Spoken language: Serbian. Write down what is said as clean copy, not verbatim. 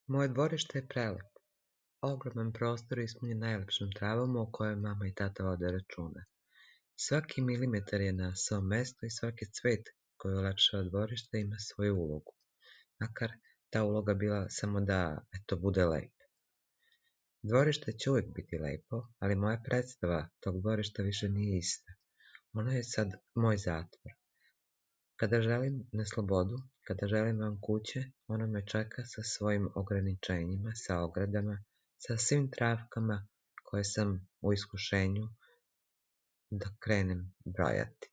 Moje dvorište je prelepo. Ogroman prostor ispunjen najlepšom travom o kojoj mama i tata vode računa. Svaki milimetar je na svom mestu i svaki cvet koji ulepšava dvorište ima svoju ulogu. Makar ta uloga bila samo da, bude lepo. Dvorište će uvijek biti lepo, ali moja predstava tog dvorišta više nije ista. Ono je sad moj zatvor. Kada želim na slobodu, kada želim van kuće, ono me čeka sa svojim ograničenjima, sa ogradama, sa svim travkama koje sam u iskušenju da krenem brojati.